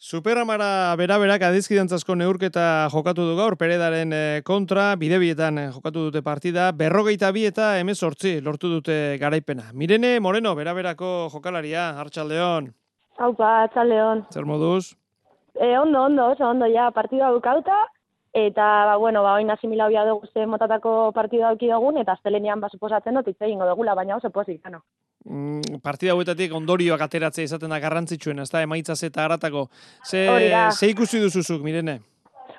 Superamara bera-berak adizkidantzazko neurketa jokatu du gaur, Peredaren kontra, bidebietan jokatu dute partida, 42 eta 18 lortu dute garaipena. Mirene Moreno, bera-berako jokalaria, Arratsaldeon. Haupa, Arratsaldeon. Zer moduz? Oso ondo, ja, partida bukauta, eta, oin asimila hobia dugu ze motatako partida auki dugun, eta astelenean suposatzen dut hitz egingo dugula, baina oso pozik, gano. Partida hauetatik ondorioak ateratzea izaten da garrantzitsuena, ezta emaitzaz eta haratako. Ze ikusi duzuzuk, Mirene?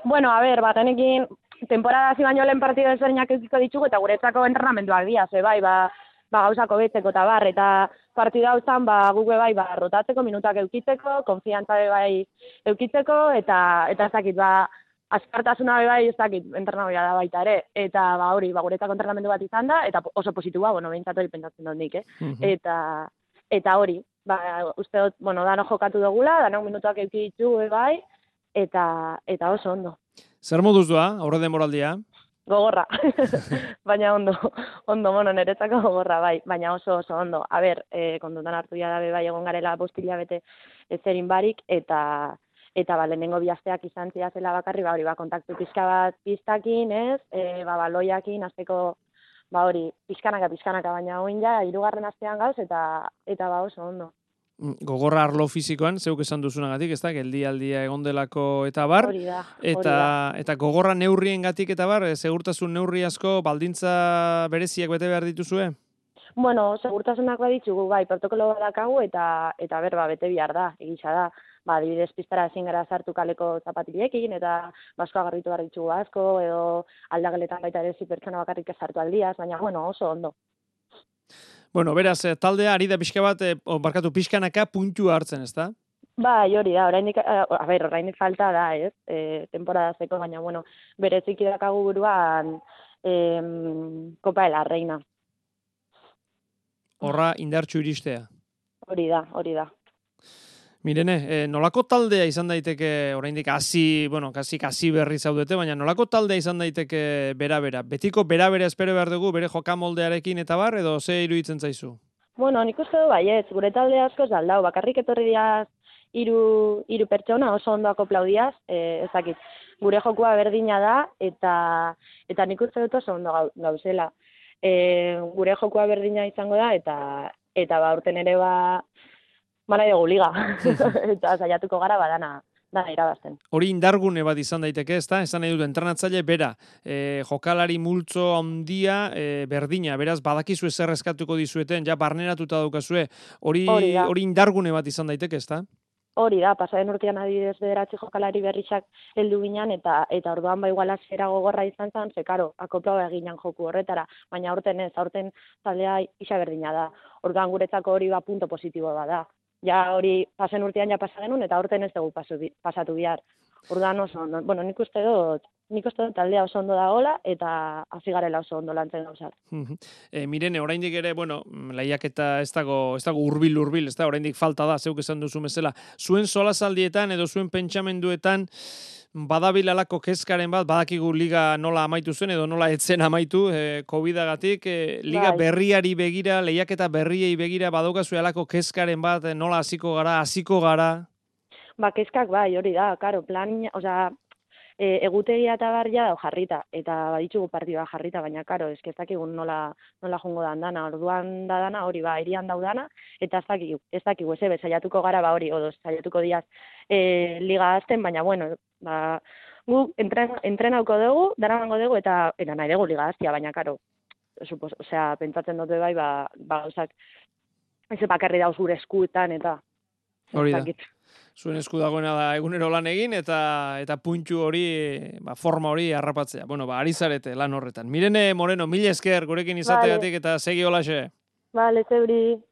Genekin temporada hasi baino lehen partida ezberdinak edukiko ditugu eta guretzako entrenamenduak dira, gauzako betzeko eta eta partida hau zan, guk rotatzeko, minutak eukitzeko, konfiantza eukitzeko, eta ez dakit, askartasuna ez dakit, entrenagoia da baita ere, eta guretzako entrenamendu bat izan da, eta oso positiboa, behintzat hori pentsatzen dut nik, eta hori, uste dut, dano jokatu dugula, dano minutak euki ditugu, eta oso ondo. Zer moduz doa, aurre denboraldia? Gogorra, baina ondo, niretzako gogorra, baina oso ondo. Kontutan hartu da egon garela 5 hilabete ezerin barik, eta lehenengo bi asteak izan zela bakarri, kontaktu pixka bat piztakin, baloiakin, azteko, pixkanaka, baina oin ja, 3. astean gauz, eta oso ondo. Gogorra arlo fisikoan, zeuk esan duzunagatik, ez da, geldialdia egondelako eta bar, hori da. Eta gogorra neurrien gatik eta bar, segurtasun neurri asko, baldintza bereziak bete behar dituzue? Segurtasunak baditzugu, protokolo badakagu, eta bete behar da, egisa da. Adibidez pistara ezin gara sartu kaleko zapatiliekin, eta basko agarritu behar ditugu asko, edo aldageletan baita ere pertsona bakarrik ez sartu aldiaz, baina oso ondo. Beraz, taldea ari da pixka bat, pixkanaka puntua hartzen, ez da? Hori da, orainik falta da, ez? Temporadazeko, baina, berezik idakagu buruan Copa de la Reina. Horra indartxu iristea. Hori da. Mirene, nolako taldea izan daiteke, oraindik kasi berri zaudete, baina nolako taldea izan daiteke bera-bera? Betiko bera-bera espero behar dugu, bere jokamoldearekin eta bar, edo ze iruditzen zaizu? Nik uste du baietz, gure talde asko zaldau, bakarrik etorri diaz hiru pertsona oso ondo akoplaudiaz, ezakit, gure jokua berdina da, eta nik uste dut oso ondo gauzela. Gure jokua berdina izango da, eta urten ere nahi dugu liga, eta saiatuko gara dana irabazten. Hori indargune bat izan daiteke, ez da? Esan nahi dut, entrenatzaile bera, jokalari multzo handia berdina, beraz badakizu ezer eskatuko dizueten, ja barneratuta daukazue, hori indargune bat izan daiteke, ez da? Hori da, pasaren urtean adibidez 9 jokalari berrisak heldu ginen, eta orduan igual hasiera gogorra izan zen, karo, akoplau eginen joku horretara, baina aurten ez, aurten taldea isa berdina da. Orduan guretzako hori punto positibo da. Ja hori pasen urtean ja pasa genuen, eta aurten ez dugu pasatu bihar. Orduan oso ondo. Nik uste dut taldea oso ondo dagoela, eta hasi garela oso ondo lantzen gauzak. Mirene, oraindik ere, lehiaketa ez dago hurbil, ez da, oraindik falta da, zeuk esan duzu bezala. Zuen solazaldietan edo zuen pentsamenduetan badabil alako kezkaren bat, badakigu liga nola amaitu zen edo nola etzen amaitu, COVID-agatik, liga berriari begira, lehiaketa berriei begira, badaukazu alako kezkaren bat, nola hasiko gara? Kezkak hori da, karo, egutegia eta barria da jarrita, eta baditzugu partidua jarrita, baina karo, ez dakigun nola jongo dan dana, orduan da dana, hori irian daudana, eta ez dakigu, ez saiatuko gara odo saiatuko diaz liga azten, baina gu entrenauko dugu, daramango dugu, eta nahi dugu liga aztia, baina karo, pentsatzen dute gauzak, ez bakarri dauz gure eskuetan, eta hori da. Zuen esku dagoena da egunero lan egin eta puntu hori, forma hori harrapatzea. Ari zarete lan horretan. Mirene Moreno, mila esker gurekin izategatik eta segi holaxe. Zeuri.